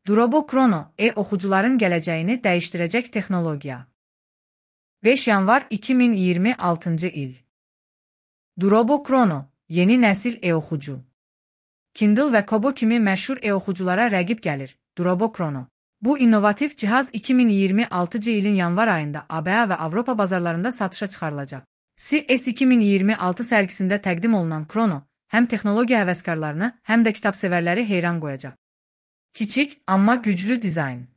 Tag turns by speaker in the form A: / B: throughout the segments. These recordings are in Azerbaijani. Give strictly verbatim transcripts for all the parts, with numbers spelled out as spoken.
A: Drobo Chrono, e-oxucuların gələcəyini dəyişdirəcək texnologiya. beş yanvar iki min iyirmi altıncı il. Drobo Chrono, yeni nəsil e-oxucu. Kindle və Kobo kimi məşhur e-oxuculara rəqib gəlir. Drobo Chrono. Bu innovativ cihaz iki min iyirmi altıncı ilin yanvar ayında A B A və Avropa bazarlarında satışa çıxarılacaq. C E S iki min iyirmi altı sərgisində təqdim olunan Chrono, həm texnologiya həvəskarlarını, həm də kitabsevərləri heyran qoyacaq. Kiçik, amma güclü dizayn.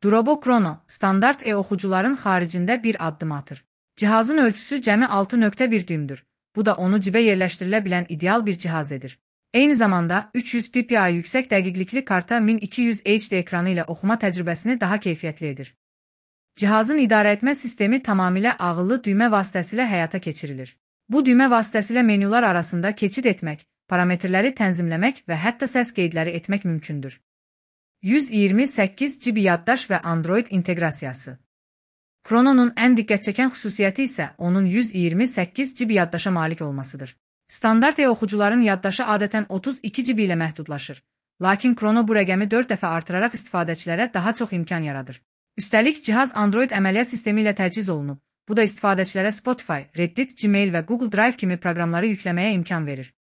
A: Drobo Chrono, standart e-oxucuların xaricində bir addım atır. Cihazın ölçüsü cəmi altı nöqtə bir düymdür. Bu da onu cibə yerləşdirilə bilən ideal bir cihaz edir. Eyni zamanda üç yüz p p i yüksək dəqiqlikli karta min iki yüz H D ekranı ilə oxuma təcrübəsini daha keyfiyyətli edir. Cihazın idarəetmə sistemi tamamilə ağıllı düymə vasitəsilə həyata keçirilir. Bu düymə vasitəsilə menyular arasında keçid etmək, parametrləri tənzimləmək və hətta səs qeydləri etmək mümkündür. yüz iyirmi səkkiz G B yaddaş və Android inteqrasiyası. Chrono'nun ən diqqət çəkən xüsusiyyəti isə onun yüz iyirmi səkkiz G B yaddaşa malik olmasıdır. Standart e-oxucuların yaddaşı adətən otuz iki G B ilə məhdudlaşır. Lakin Chrono bu rəqəmi dörd dəfə artıraraq istifadəçilərə daha çox imkan yaradır. Üstəlik, cihaz Android əməliyyat sistemi ilə təchiz olunub. Bu da istifadəçilərə Spotify, Reddit, Gmail və Google Drive kimi proqramları yükləməyə imkan verir.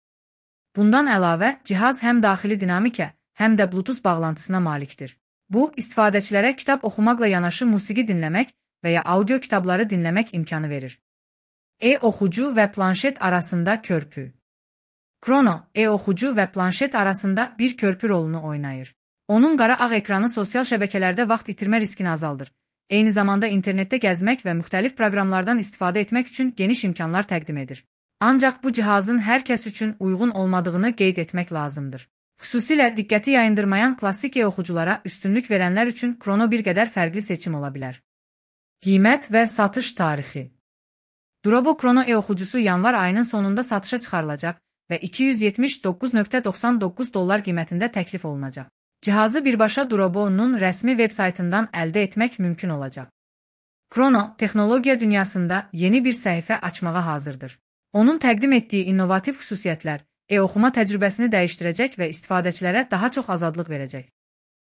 A: Bundan əlavə, cihaz həm daxili dinamikə, həm də Bluetooth bağlantısına malikdir. Bu, istifadəçilərə kitab oxumaqla yanaşı musiqi dinləmək və ya audio kitabları dinləmək imkanı verir. E-oxucu və planşet arasında körpü. Chrono, e-oxucu və planşet arasında bir körpü rolunu oynayır. Onun qara ağ ekranı sosial şəbəkələrdə vaxt itirmə riskini azaldır. Eyni zamanda internetdə gəzmək və müxtəlif proqramlardan istifadə etmək üçün geniş imkanlar təqdim edir. Ancaq bu cihazın hər kəs üçün uyğun olmadığını qeyd etmək lazımdır. Xüsusilə diqqəti yayındırmayan klassik e-oxuculara üstünlük verənlər üçün Chrono bir qədər fərqli seçim ola bilər. Qiymət və satış tarixi. Drobo Chrono e-oxucusu yanvar ayının sonunda satışa çıxarılacaq və iki yüz yetmiş doqquz nöqtə doxsan doqquz dollar qiymətində təklif olunacaq. Cihazı birbaşa Drobo'nun rəsmi veb-saytından əldə etmək mümkün olacaq. Chrono, texnologiya dünyasında yeni bir səhifə açmağa hazırdır. Onun təqdim etdiyi innovativ xüsusiyyətlər e-oxuma təcrübəsini dəyişdirəcək və istifadəçilərə daha çox azadlıq verəcək.